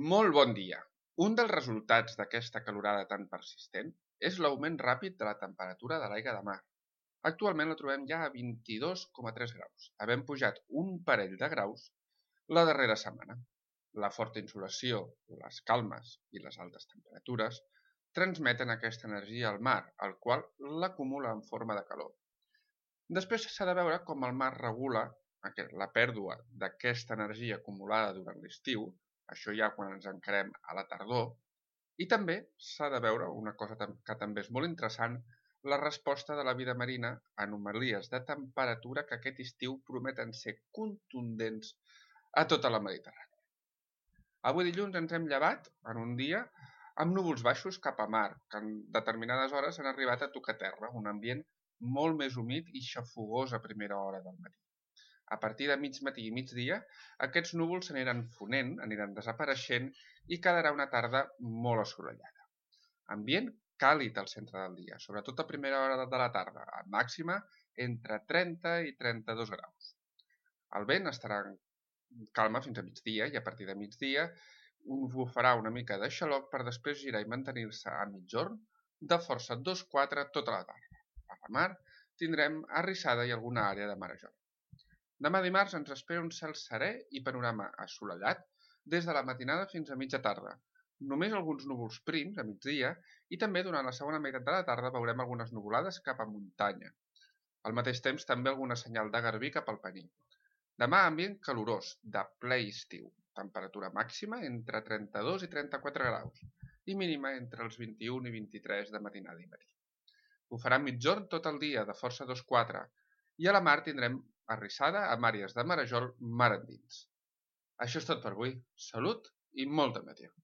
Molt bon dia! Un dels resultats d'aquesta calorada tan persistent és l'augment ràpid de la temperatura de l'aigua de mar. Actualment la trobem ja a 22,3 graus, havent pujat un parell de graus la darrera setmana. La forta insolació, les calmes i les altes temperatures transmeten aquesta energia al mar, el qual l'acumula en forma de calor. Després s'ha de veure com el mar regula la pèrdua d'aquesta energia acumulada durant l'estiu, això ja quan ens encarem a la tardor, i també s'ha de veure una cosa que també és molt interessant, la resposta de la vida marina a anomalies de temperatura que aquest estiu prometen ser contundents a tota la Mediterrània. Avui dilluns ens hem llevat en un dia amb núvols baixos cap a mar, que en determinades hores han arribat a tocar terra, un ambient molt més humit i xafogós a primera hora del matí. A partir de mig matí i migdia, aquests núvols s'aniran fonent, aniran desapareixent i quedarà una tarda molt assolellada. Ambient càlid al centre del dia, sobretot a primera hora de la tarda, a màxima entre 30 i 32 graus. El vent estarà en calma fins a migdia i a partir de migdia bufarà una mica de xaloc per després girar i mantenir-se a mitjorn de força 2-4 tota la tarda. A la mar tindrem arrissada i alguna àrea de marejol. Demà dimarts ens espera un cel serè i panorama assolellat des de la matinada fins a mitja tarda. Només alguns núvols prims a migdia i també durant la segona meitat de la tarda veurem algunes nuvolades cap a muntanya. Al mateix temps també alguna senyal de garbí cap al Pení. Demà ambient calorós, de ple estiu, temperatura màxima entre 32 i 34 graus i mínima entre els 21 i 23 de matinada i matí. Bufarà mitjorn tot el dia de força 2-4 i a la mar tindrem arrissada amb àrees de marejol mar endins. Això és tot per avui. Salut i molta meteor.